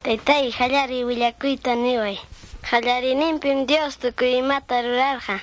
Taytay, qallariy willakuyta niway. Qallariyninpim Dios tukuy imata rurarqa.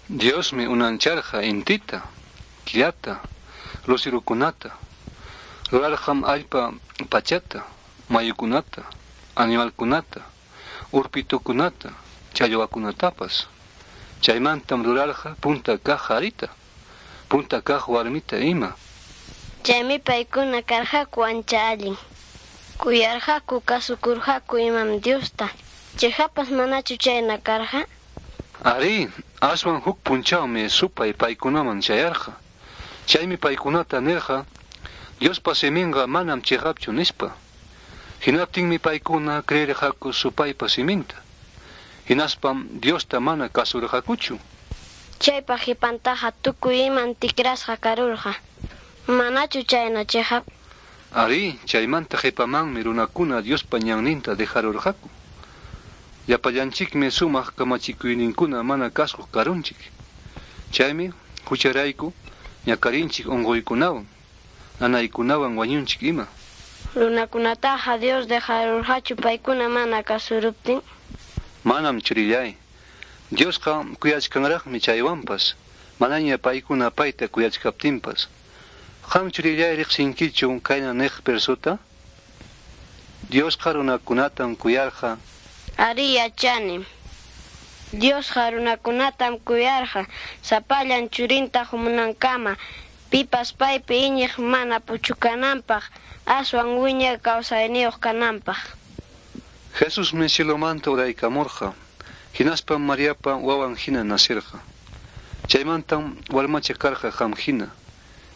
Diosmi unancharqa intita, killata, lusirukunata. Rurarqam allpa pachata, mayukunata, animalkunata, urpitukunata, challwakunatapas. Chaymantam rurarqa punta kaq qarita, punta kaq warmita ima. Chaymi paykuna karqaku ancha allin. Kuyarqaku, kasukurqaku imam Diosta. Chiqappas manachu chayna karqa? Arí, aswan huk punchawmi supay paykunaman chayarqa. Chaymi paykunata nirqa, Diospa siminqa manam chiqapchu nispa. Hinaptinmi paykuna creerqaku supaypa siminta. Hinaspam Diosta mana kasurqakuchu. Chaypa qipantaqa tukuy iman tikrasqa karurqa. Manachu chayna chiqap? Arí, chaymanta qipamanmi runakuna Diospa ñanninta dejarurqaku. Llapallanchikmi sumaq kamachikuyninkuna mana kasuq karunchik. Chaymi hucharayku ñakarinchik unquykunawan, nanaykunawan wañunchik ima. Runakunataqa Dios dejarurqachu paykuna mana kasuruptin? Manam churillay. Diosqa kuyachkanraqmi chaywanpas, manaña paykuna payta kuyachkaptinpas. Qam churillay riqsinkichu kayna niq versuta? Diosqa runakunatam kuyarqa. Arí, yachanim. Diosqa runakunatam kuyarqa sapallan churinta qumunankama, pipas paypi iñiq mana puchukananpaq, aswan wiñay kawsayniyuq kananpaq. Jesusmi cielomanta uraykamurqa, hinaspam Mariapa wawan hina nacirqa. Chaymantam warmacha karqa qam hina,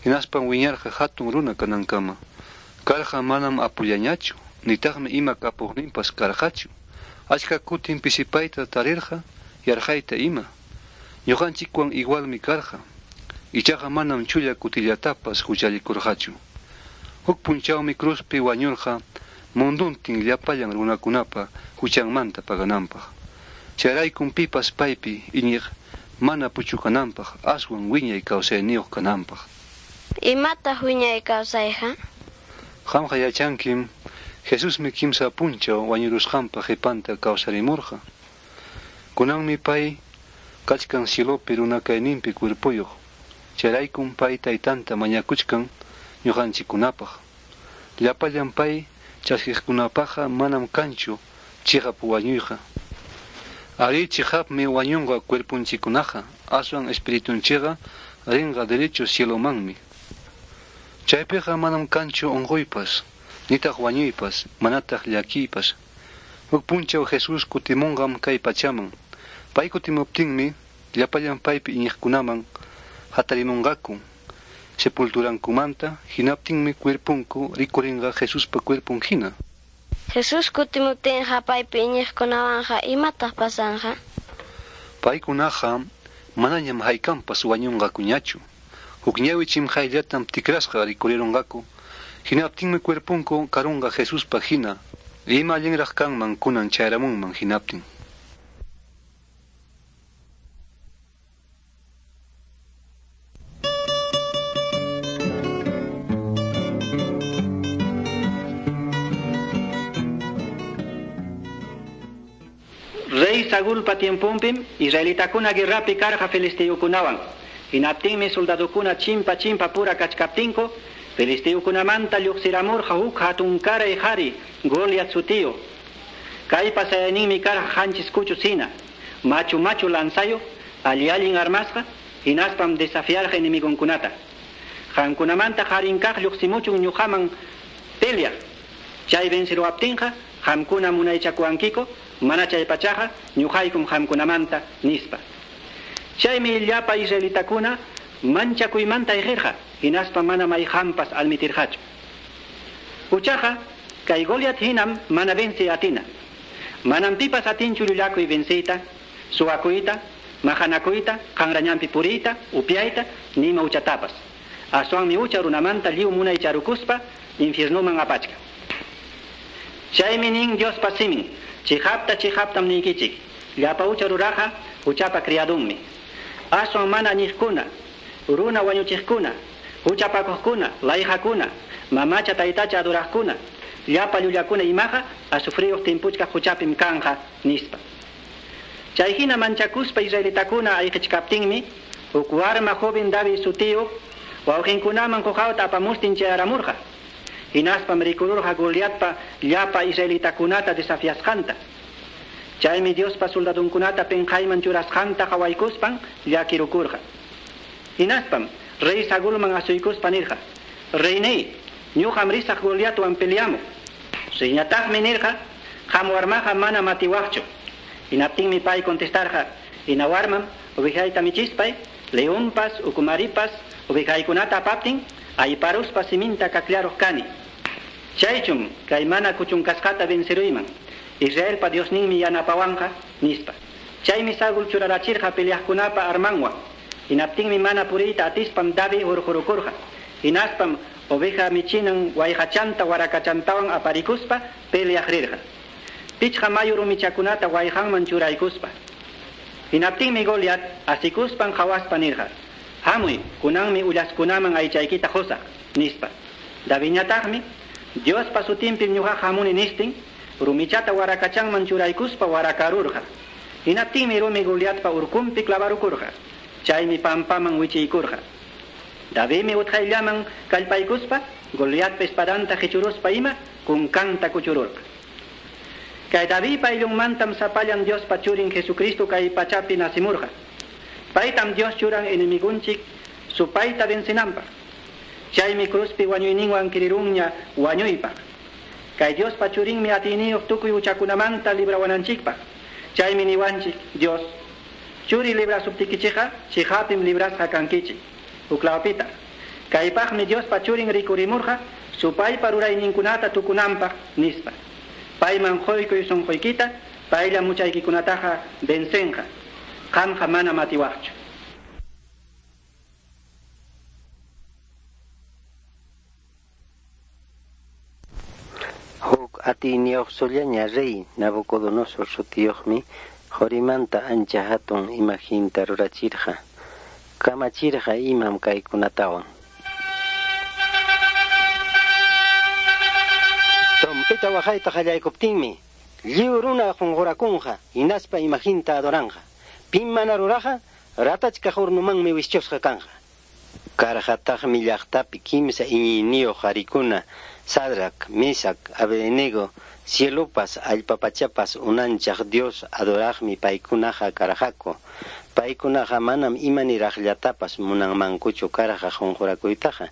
hinaspam wiñarqa hatun runa kanankama. Karqa manam apullañachu, nitaqmi ima kapuqninpas karqachu. Achka kutin pisipayta tarirqa, yarqayta ima. Ñuqanchikwan igualmi karqa. Ichaqa manam chulla kutillatapas huchallikurqachu. Huk punchawmi cruzpi wañurqa munduntin llapallan runakunapa huchanmanta pagananpaq. Chayraykum pipas paypi iñiq mana puchukananpaq, aswan wiñay kawsayniyuq kananpaq. Imataq wiñay kawsayqa? Qamqa yachankim, Jesusmi kimsa punchaw wañurusqanpa qipanta kawsarimurqa. Kunanmi pay kachkan cielopi runakayninpi cuerpoyuq. Chayraykum pay taytanta mañakuchkan ñuqanchikkunapaq. Llapallan pay chaskiqkunapaqqa manam kanchu chiqap wañuyqa. Arí, chiqapmi wañunqa cuerponchikkunaqa, aswan espiritunchikqa rinqa derecho cielomanmi. Chaypiqa manam kanchu unquypas, nitaq wañuypas, manataq llakiypas. Huk punchaw Jesús kutimunqam kay pachaman. Pay kutimuptinmi llapallan paypi iñiqkunaman hatarimunqaku sepulturankumanta, hinaptinmi cuerponku rikurinqa Jesuspa cuerpon hina. Jesús kutimuptinqa paypi iñiqkunawanqa imataq pasanqa? Paykunaqa manañam haykampas wañunqakuñachu. Huk ñawi chimqayllatam tikrasqa rikurirunqaku. Hinaptinmi cuerponku karunqa Jesuspa hina. Ima allinraq kanman kunan chayaramunman hinaptin. Rey Saulpa tiemponpim israelitakuna guerrapi karqa filisteukunawan. Hinaptinmi soldadokuna chimpa chimpa pura kachkaptinku, filisteukunamanta lluqsiramurqa huk hatunkaray qhari Goliat sutiyuq. Kaypa sayayninmi karqa qanchis kuchu hina, machu machu lanzayuq, alli allin armasqa, hinaspam desafiarqa enemigonkunata. Qamkunamanta qarin kaq lluqsimuchun ñuqaman peleaq. Chay venceruwaptinqa qamkuna munaychakuwankiku, mana chay pachaqa ñuqaykum qamkunamanta nispa. Chaymi llapa israelitakuna manchakuymanta ayqirqa, hinaspa mana mayqanpas almitirqachu. Huchaqa kay Goliat hinam mana venci atina. Manam pipas atinchu llullakuy venciyta, suwakuyta, maqanakuyta, qanrañanpi puriyta, upyayta, nima huchatapas. Aswanmi hucha runamanta lliw munaycharukuspa infiernoman apachkan. Chaymi nin Diospa simin, chiqapta chiqaptam niykichik, llapa hucha ruraqa huchapa criadunmi. Aswan mana añiqkuna, runa wañuchiqkuna, huchapakuqkuna, layqakuna, mamacha taytacha adoraqkuna, Llapa llullakuna imaqa azufriyuq timpuchkaq quchapim kanqa, nispa. Chayhina manchakuspa israelitakuna ayqichkaptinmi, huk warma joven David sutiyuq wawqinkunaman quqawta apamustin chayaramurqa. Hinaspam rikururqa Goliatpa llapa israelitakunata desafiasqanta. Chaymi Diospa soldadunkunata pinqayman churasqanta qawaykuspan llakirukurqa. Hinaspam rey Saulman asuykuspa nirqa: "Reyney, ñuqam risaq Goliatwan peleamuq." Reyñataqmi nirqa: "Qam warmaqa mana matiwaqchu." Hinaptinmi pay contestarqa: "Hina warmam ovejayta michispay, leonpas, ukumaripas ovejaykunata apaptin, ayparuspa siminta kakllaruq kani. Chaychum kay mana kuchunkasqata venceruyman. Israelpa Diosninmi yanapawanqa", nispa. Chaymi Saúl churarachirqa peleaqkunapa armanwan. Hinaptinmi mana puriyta atispam David hurqurukurqa. Hinaspam oveja michinan wayqachanta warakachantawan aparikuspa peleaq rirqa. Pichqa mayu rumichakunata wayqanman churaykuspa. Hinaptinmi Goliat asikuspan qhawaspa nirqa: "Hamuy, kunanmi ullaskunaman aychaykita qusaq", nispa. Davidñataqmi Diospa sutinpim ñuqaqa hamuni nistin, rumichata warakachanman churaykuspa warakarurqa. Hinaptinmi rumi Goliatpa urkunpi clavarukurqa. Chaymi pampaman wichiykurqa. Davidmi utqayllaman kallpaykuspa Goliatpa espadanta qichuruspa ima kunkanta kuchururqa. Kay Davidpa ayllunmantam sapallan Diospa churin Jesucristo kay pachapi nacimurqa. Paytam Dios churan enemigunchik supayta vencinanpaq. Chaymi cruzpi wañuyninwan kirirunña wañuypaq. Kay Diospa churinmi atiyniyuq tukuy huchakunamanta librawananchikpaq. Chaymi niwanchik Dios: churi librasuptikichikqa chiqapim librasqa kankichik. Huklawpita. Kaypaqmi Diospa churin rikurimurqa supaypa rurayninkunata tukunanpaq, nispa. Payman quykuy sunquykita, paylla muchaykikunataqa vencenqa. Qamqa mana matiwaqchu. Huk atiyniyuq sullaña rey Nabucodonosor sutiyuqmi qurimanta ancha hatun imaginta rurachirqa. Kamachirqa imam kaykunatawan. Trompeta waqayta qallaykuptinmi lliw runa qunqurakunqa hinaspa imaginta adoranqa. Pim mana ruraqa ratachkaq hornomanmi wischusqa kanqa. Karqataqmi llaqtapi kimsa iñiyniyuq qarikuna Sadrac, Mesac, Abednego, cielopas allpa pachapas unanchaq Dios adoraqmi paykunaqa karqaku. Paykunaqa manam imaniraqllatapas munanmankuchu karqa qunqurakuytaqa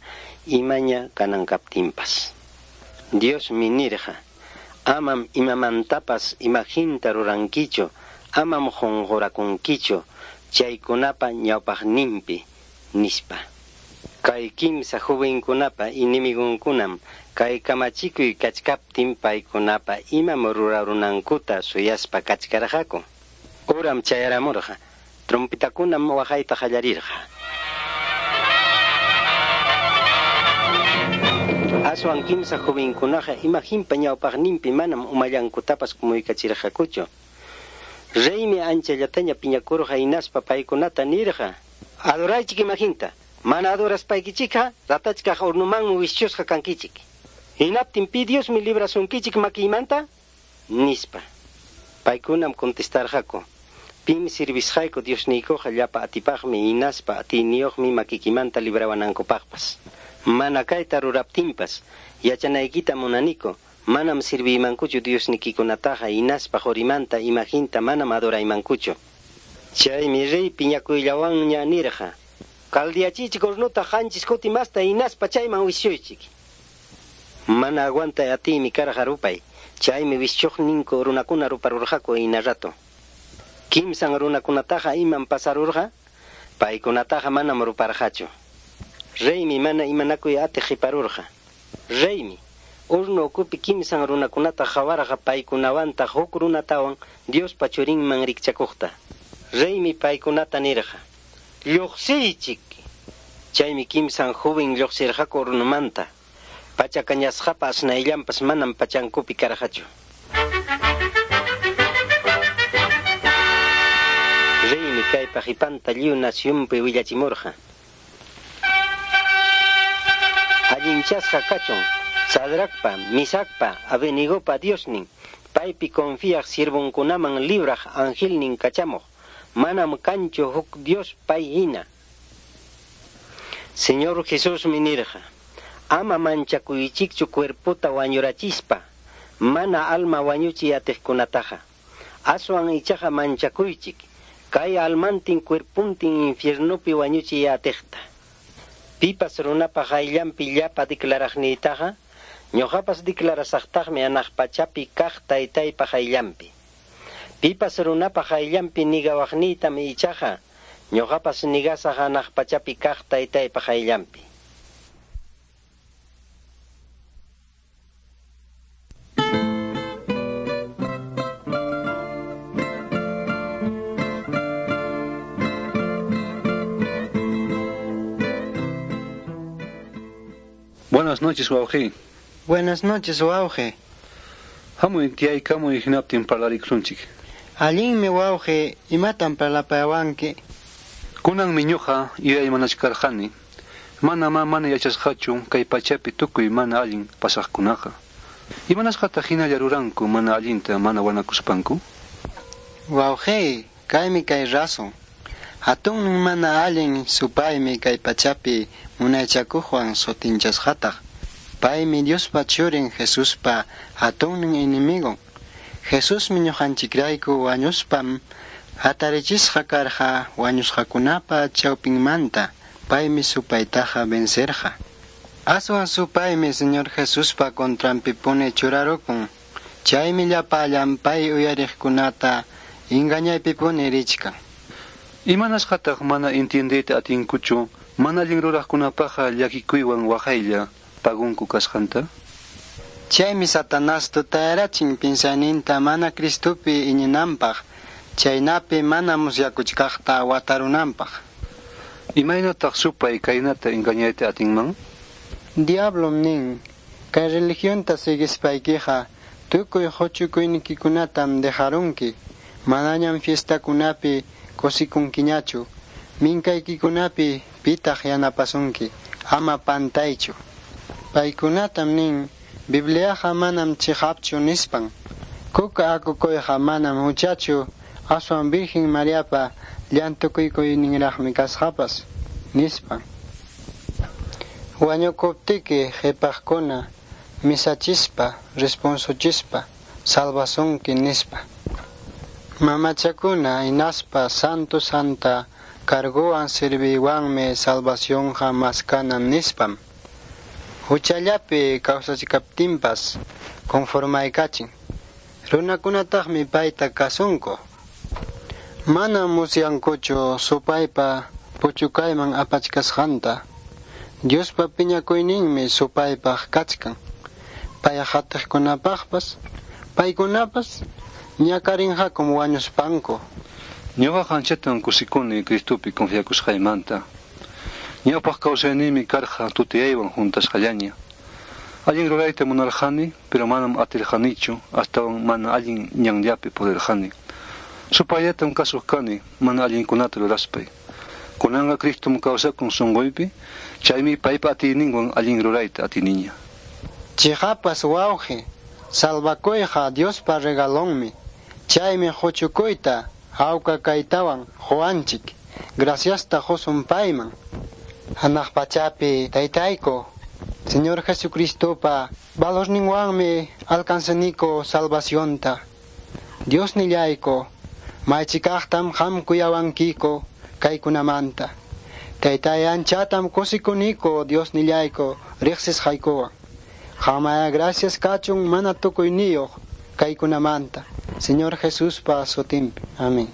imaña kanan kaptinpas. Diosmi nirqa: "Amam imamantapas imaginta rurankichu, amam qunqurakunkichu chaykunapa ñawpaqninpi", nispa. Kay kimsa jovenkunapa enemigunkunam kay kamachikuy kachkaptin paykunapa imam rurarunankuta suyaspa kachkarqaku. Uram chayaramurqa, trompetakunam waqayta qallarirqa. Aswan kimsa jovenkunaqa imaginpa ñawpaqninpi manam umallankutapas kumuykachirqakuchu. Reymi anchallataña piñakurqa hinaspa paykunata nirqa: "Adoraychik imaginta. Mana adoraspaykichikqa ratachkaq hornomanmi wischusqa kankichik. Hinaptin pi Diosmi librasunkichik makiymanta?" nispa. Paykunam contestarqaku: "Pim servisqayku Diosniykuqa llapa atipaqmi hinaspa atiyniyuqmi makikimanta librawanankupaqpas. Mana kayta ruraptinpas yachanaykita munaniku, manam serviymankuchu Diosnikikunataqa hinaspa qurimanta imaginta manam adoraymankuchu." Chaymi rey piñakuyllawanña nirqa: "Caldeachichik hornota qanchis kuti masta hinaspa chayman wischuychik." Mana aguantay atiymi karqa rupay. Chaymi wischuqninku runakuna ruparurqaku hina rato. Kimsan runakunataqa imam pasarurqa, paykunataqa manam ruparqachu. Reymi mana imanakuy atiq qiparurqa. Reymi horno ukupi kimsan runakunata qawarqa paykunawantaq huk runatawan Diospa churinman rikchakuqta. Reymi paykunata nirqa: "Lluqsiychik." Chaymi kimsan joven lluqsirqaku hornomanta. Pacha kañasqapa asnayllanpas manam pachankupi karqachu. Reymi kaypa qipanta lliw nacionpi willachimurqa. Allinchasqa kachun Sadracpa, Misacpa, Abednegopa Diosnin, paypi confiaq siervonkunaman libraq angelnin kachamuq. Manam kanchu huk Dios pay hina. Señor Jesusmi nirqa, ama manchakuychikchu cuerpota wañurachispa, mana alma wañuchiy atiqkunataqa. Aswan ichaqa manchakuychik, kay almantin cuerpuntin infiernopi wañuchiy atiqta. Pipas runapa qayllanpi llapa declaraqniytaqa, ñuqapas declarasaqtaqmi hanaq pachapi kaq taytaypa qayllanpi. Pipas runapa qayllanpi nigawaqniytam ichaqa, ñuqapas nigasaq hanaq pachapi kaq taytaypa qayllanpi. Buenas noches, wawqi. Buenas noches, wawqi. Hamuy tiyaykamuy hinaptin parlarikusunchik. Allinmi wawqi, imatam parlapawanki? Kunanmi ñuqa yuyaymanachkarqani. Manamá mana yachasqachu kay pachapi tukuy mana allin pasaqkunaqa. Imanasqataq hinalla ruranku mana allinta mana wanakuspanku? Wawqi, kaymi kay razón. Hatunnin mana allin supaymi kay pachapi munaychakuqwan sutinchasqataq. Paymi Diospa churin Jesuspa hatunnin enemigon. Jesusmi ñuqanchikrayku wañuspam hatarichisqa karqa wañusqakunapa chawpinmanta. Paymi supaytaqa vencerqa. Aswan supaymi Señor Jesuspa contranpipuni churarukun. Chaymi llapallan pay uyariqkunata engañaypipuni richkan. Imanasqataq mana entiendeyta atinkuchu mana allin ruraqkunapaqqa llakikuywan waqaylla pagunku kasqanta? Chaymi Satanás tutayarachin piensayninta mana Cristopi iñinanpaq, chaynapi mana musyakuchkaqta watarunanpaq. Imaynataq supay kaynata engañayta atinman? Diablom nin, kay religionta siguispaykiqa tukuy huchukuynikikunatam dejarunki, manañam fiestakunapi kusikunkiñachu, minkaykikunapi pitaq yanapasunki, ama pantaychu. Paykunatam nin, Bibliaqa manam chiqapchu nispan. Kuka akukuyqa manam huchachu, aswan Virgen Mariapa llantukuyninraqmi kasqapas, nispan. Wañukuptiki qhipaqkuna misachispa, responsuchispa, salvasunki nispa. Mamachakuna hinaspa santo santa carguwan serviywanmi salvacionqa maskanan nispam. Huchallapi kawsachkaptinpas conformaykachin. Runakunataqmi payta kasunku. Manam musyankuchu supaypa puchukayman apachkasqanta. Diospa piñakuyninmi supaypaq kachkan. Pay hatiqkunapaqpas, paykunapas ñakarinqakum wañuspanku. Ñuqaqa anchatam kusikuni Cristopi confiakusqaymanta. Ñawpaq kawsayniymi karqa tutayaywan huntasqallaña. Allin rurayta munarqani, pero manam atirqanichu, astawan mana allin ñanllapi purirqani. Supayllatam kasuq kani, mana allinkunata ruraspay. Kunanqa Cristom kawsakun sunquypi, chaymi paypa atiyninwan allin rurayta atiniña. Chiqapas wawqi, salvakuyqa Diospa regalonmi. Chaymi huchukuyta hawka kaytawan quwanchik. Graciasta qusun payman. Hanaq pachapi taytayku, Señor Jesucristopa valorninwanmi alcanzaniko salvacionta. Dios nillayko, maychikaqtam qam kuyawankiko kaykunamanta. Taytay anchatam kusikuniko Dios nillayko riqsisqaykuwan. Qamaya gracias kachun mana tukuyniyuq kaykunamanta. Señor Jesuspa sutinpi. Amén.